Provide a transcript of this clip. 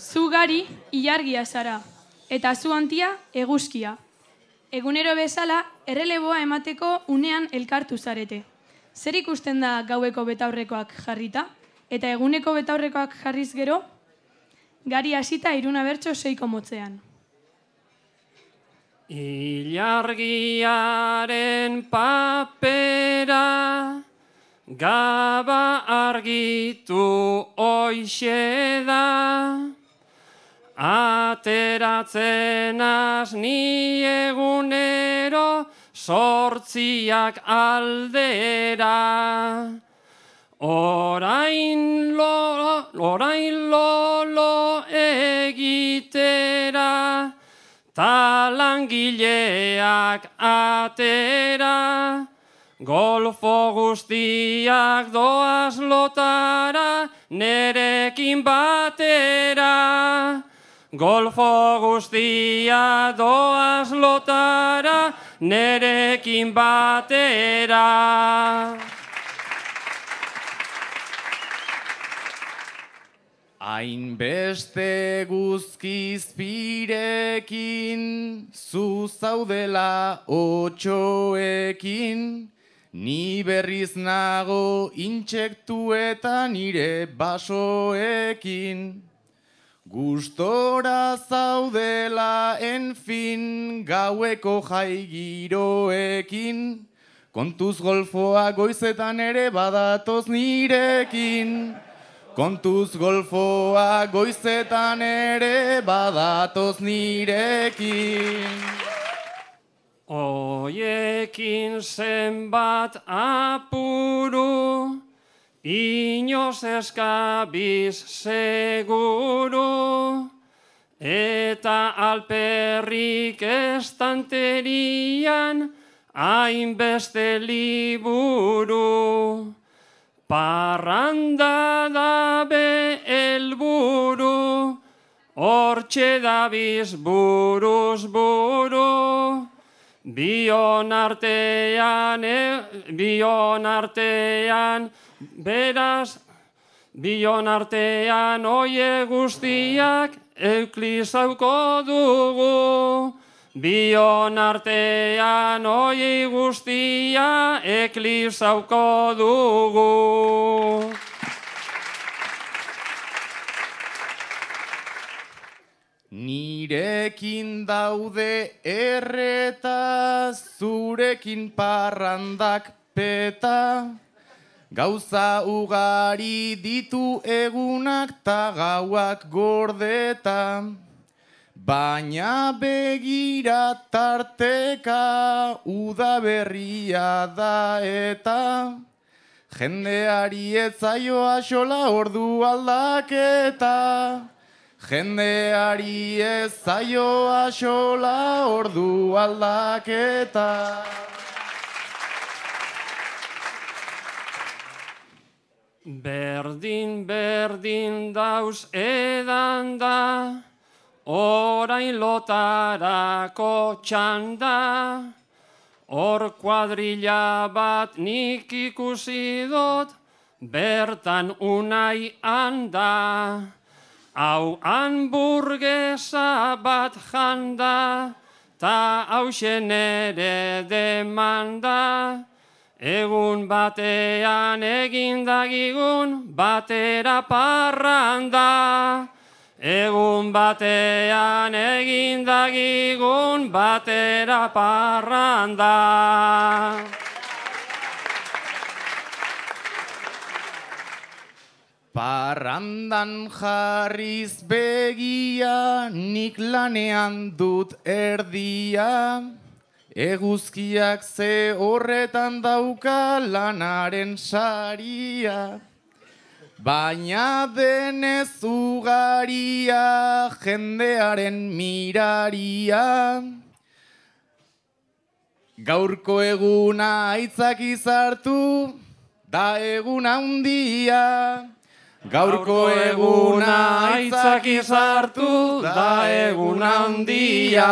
Zu gari ilargia zara, eta zu hantia eguzkia. Egunero bezala, erreleboa emateko unean elkartu zarete. Zer ikusten da gaueko betaurrekoak jarrita? Eta eguneko betaurrekoak jarriz gero? Gari hasita 3 bertso 6 motzean. Ilargiaren papera gaba argitu hoixe da, ateratzen az ni egunero 8 aldera. Orain lolo egitera, ta langileak atera, golfo guztiak doaz lotara, nerekin batera. Golfo guztiak doaz lotara, nerekin batera. Hainbeste guzkizpirekin, zu zaudela 8ekin, ni berriz nago intsektuetan nire basoekin. Gustora zaudela enfin gaueko jaigiroekin, kontuz golfoa goizetan ere badatoz nirekin. Kontuz golfoa goizetan ere badatoz nirekin. Oiekin zenbat apuru, inoz eskabiz seguru, eta alperrik estanterian hainbeste liburu. Parranda dabe helburu, hortxe dabiz buruz buru. Bion artean, oie guztiak euklizauko dugu. Bion artean oie guztia eklipsauko dugu. Nirekin daude erreta, zurekin parrandak peta. Gauza ugari ditu egunak ta gauak gordeta. Baina begira tarteka udaberria da eta jendeari ez zaio axola ordu aldaketa. Jendeari ez zaio axola ordu aldaketa. Berdin dauz edan da, orain lotarako txanda, hor kuadrilla bat nik ikusi dut, bertan unai handa. Hau hamburguesa bat janda, ta hausen ere demanda. Egun batean egindagigun batera parranda. Egun batean egindagigun batera parranda. Parrandan jarriz begia, nik lanean dut erdia. Eguzkiak ze horretan dauka lanaren saria. Baina denez ugaria jendearen miraria. Gaurko eguna aitzaki sartu da eguna handia. Gaurko eguna aitzaki sartu da eguna handia.